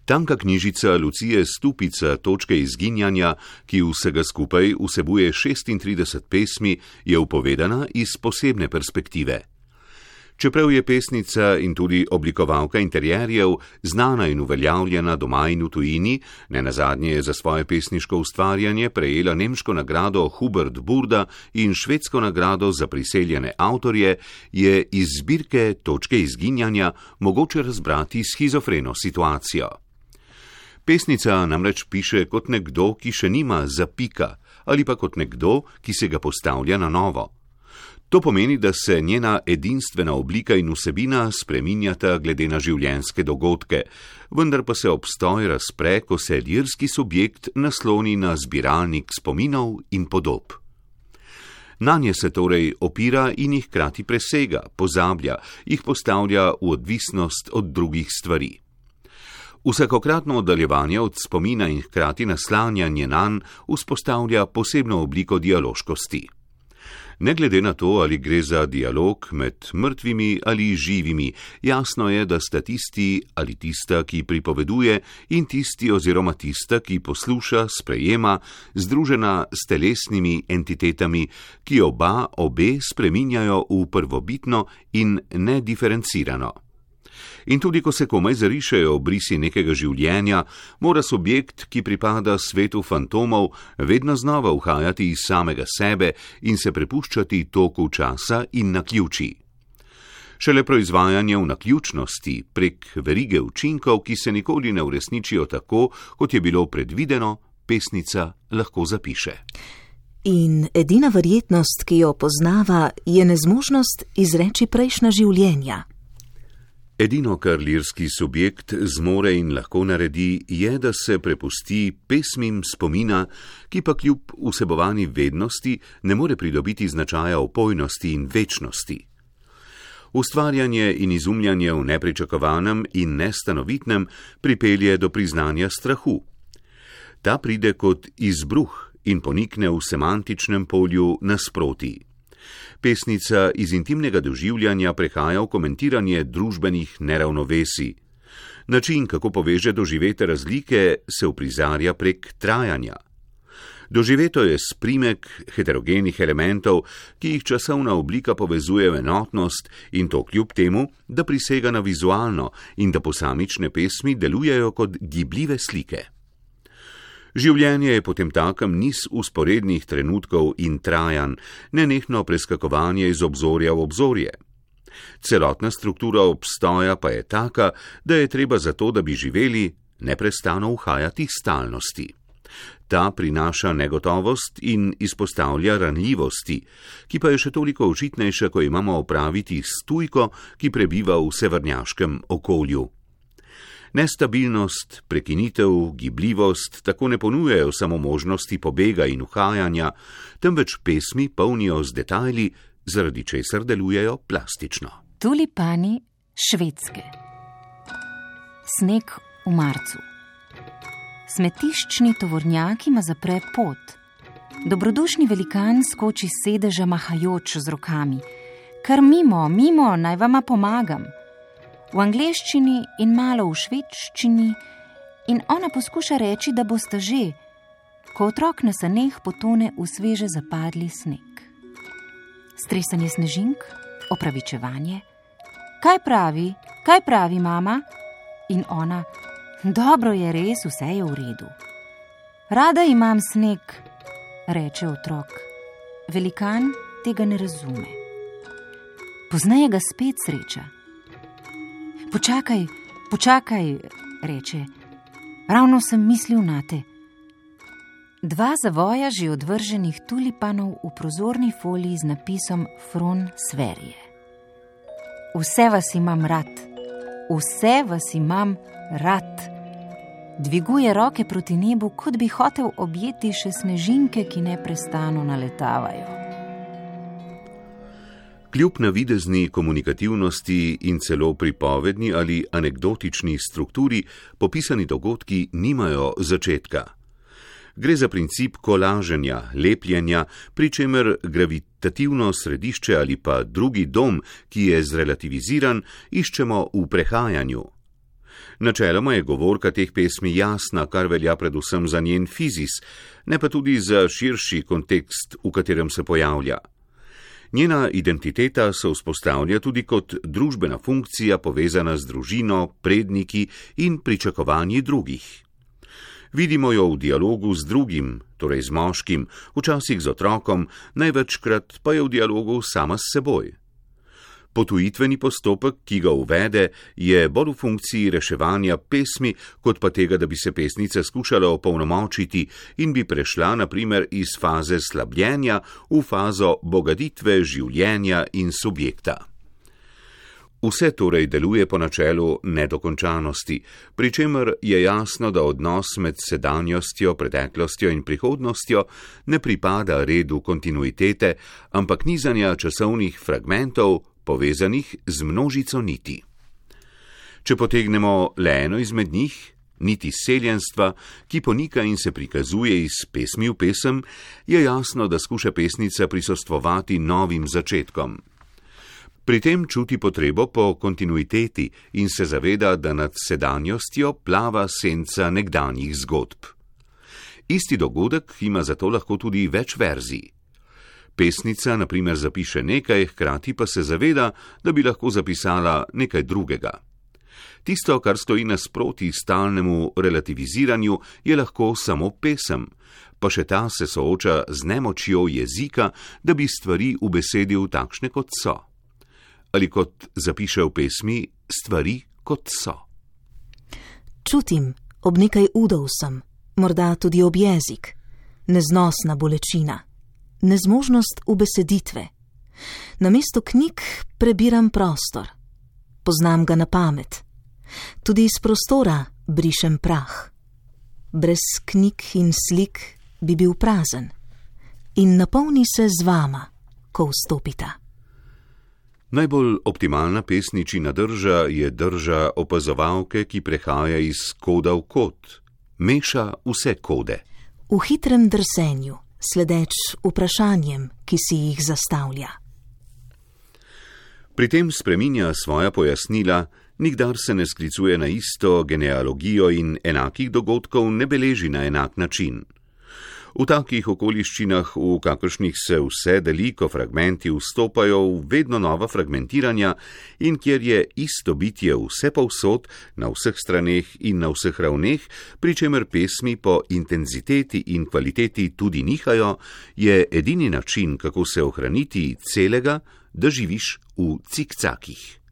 Tanka knjižica Lucije Stupica Točke izginjanja, ki vsega skupaj vsebuje 36 pesmi, je upovedana iz posebne perspektive. Čeprav je pesnica in tudi oblikovalka interjerjev znana in uveljavljena doma in v tujini, nenazadnje je za svoje pesniško ustvarjanje prejela nemško nagrado Hubert Burda in švedsko nagrado za priseljene avtorje, je iz zbirke Točke izginjanja mogoče razbrati shizofreno situacijo. Pesnica namreč piše kot nekdo, ki še nima zapika, ali pa kot nekdo, ki se ga postavlja na novo. To pomeni, da se njena edinstvena oblika in vsebina spreminjata glede na življenjske dogodke, vendar pa se obstoj razpre, ko se lirski subjekt nasloni na zbiralnik spominov in podob. Nanje se torej opira in jih hkrati presega, pozablja, jih postavlja v odvisnost od drugih stvari. Vsakokratno oddaljevanje od spomina in hkrati naslanjanje nanj vzpostavlja posebno obliko dialoškosti. Ne glede na to, ali gre za dialog med mrtvimi ali živimi, jasno je, da sta tisti ali tista, ki pripoveduje, in tisti oziroma tista, ki posluša, sprejema, združena s telesnimi entitetami, ki obe spreminjajo v prvobitno in nediferencirano. In tudi, ko se komaj zarišejo obrisi nekega življenja, mora subjekt, ki pripada svetu fantomov, vedno znova uhajati iz samega sebe in se prepuščati toku časa in naključij. Šele proizvajanje v naključnosti prek verige učinkov, ki se nikoli ne uresničijo tako, kot je bilo predvideno, pesnica lahko zapiše. In edina verjetnost, ki jo poznava, je nezmožnost izreči prejšnja življenja. Edino, kar lirski subjekt zmore in lahko naredi, je, da se prepusti pesmim spomina, ki pa kljub vsebovani vednosti ne more pridobiti značaja opojnosti in večnosti. Ustvarjanje in izumljanje v nepričakovanem in nestanovitnem pripelje do priznanja strahu. Ta pride kot izbruh in ponikne v semantičnem polju nasproti. Pesnica iz intimnega doživljanja prehaja v komentiranje družbenih neravnovesij. Način, kako poveže doživete razlike, se uprizarja prek trajanja. Doživeto je sprimek heterogenih elementov, ki jih časovna oblika povezuje v enotnost, in to kljub temu, da prisega na vizualno in da posamične pesmi delujejo kot gibljive slike. Življenje je potemtakem niz usporednih trenutkov in trajanj, nenehno preskakovanje iz obzorja v obzorje. Celotna struktura obstoja pa je taka, da je treba za to, da bi živeli, neprestano uhajati stalnosti. Ta prinaša negotovost in izpostavlja ranljivosti, ki pa je še toliko očitnejša, ko imamo opraviti s tujko, ki prebiva v severnjaškem okolju. Nestabilnost, prekinitev, gibljivost tako ne ponujajo samo možnosti pobega in uhajanja, temveč pesmi polnijo z detajli, zaradi česar delujejo plastično. Tulipani Švedske. Sneg v marcu. Smetiščni tovornjak ima zapre pot. Dobrodušni velikan skoči s sedeža mahajoč z rokami. Kar mimo, naj vama pomagam. V angleščini in malo v švedščini, in ona poskuša reči, da bosta že, ko otrok na saneh potone v sveže zapadli sneg. Stresanje snežink, opravičevanje. Kaj pravi mama? In ona, dobro je res, vse je v redu. Rada imam sneg, reče otrok. Velikan tega ne razume. Pozneje ga spet sreča. Počakaj, reče, ravno sem mislil nate. Dva zavoja že odvrženih tulipanov v prozorni foliji z napisom Fron Sverige. Vse vas imam rad. Dviguje roke proti nebu, kot bi hotel objeti še snežinke, ki neprestano naletavajo. Kljub navidezni komunikativnosti in celo pripovedni ali anekdotični strukturi, popisani dogodki nimajo začetka. Gre za princip kolaženja, lepljenja, pri čemer gravitativno središče ali pa drugi dom, ki je zrelativiziran, iščemo v prehajanju. Načeloma je govorka teh pesmi jasna, kar velja predvsem za njen fizis, ne pa tudi za širši kontekst, v katerem se pojavlja. Njena identiteta se vzpostavlja tudi kot družbena funkcija povezana z družino, predniki in pričakovanji drugih. Vidimo jo v dialogu z drugim, torej z moškim, včasih z otrokom, največkrat pa je v dialogu sama s seboj. Potujitveni postopek, ki ga uvede, je bolj v funkciji reševanja pesmi, kot pa tega, da bi se pesnica skušala opolnomočiti in bi prešla na primer iz faze slabljenja v fazo bogatitve življenja in subjekta. Vse torej deluje po načelu nedokončanosti, pri čemer je jasno, da odnos med sedanjostjo, preteklostjo in prihodnostjo ne pripada redu kontinuitete, ampak nizanja časovnih fragmentov, povezanih z množico niti. Če potegnemo le eno izmed njih, niti seljenstva, ki ponika in se prikazuje iz pesmi v pesem, je jasno, da skuša pesnica prisostvovati novim začetkom. Pri tem čuti potrebo po kontinuiteti in se zaveda, da nad sedanjostjo plava senca nekdanjih zgodb. Isti dogodek ima zato lahko tudi več verzij. Pesnica na primer zapiše nekaj, hkrati pa se zaveda, da bi lahko zapisala nekaj drugega. Tisto, kar stoji nasproti stalnemu relativiziranju, je lahko samo pesem, pa še ta se sooča z nemočjo jezika, da bi stvari ubesedil takšne, kot so. Ali kot zapiše v pesmi, stvari kot so. Čutim, ob nekaj udov sem, morda tudi ob jezik, neznosna bolečina, nezmožnost ubeseditve. Namesto knjig prebiram prostor, poznam ga na pamet. Tudi iz prostora brišem prah. Brez knjig in slik bi bil prazen in napolni se z vama, ko vstopita. Najbolj optimalna pesničina drža je drža opazovalke, ki prehaja iz koda v kod, meša vse kode. V hitrem drsenju, sledeč vprašanjem, ki si jih zastavlja. Pri tem spreminja svoja pojasnila, nikdar se ne sklicuje na isto genealogijo in enakih dogodkov ne beleži na enak način. V takih okoliščinah, v kakršnih se vse deli, ko fragmenti vstopajo v vedno nova fragmentiranja in kjer je isto bitje vse povsod, na vseh straneh in na vseh ravneh, pri čemer pesmi po intenziteti in kvaliteti tudi nihajo, je edini način, kako se ohraniti celega, da živiš v cikcakih.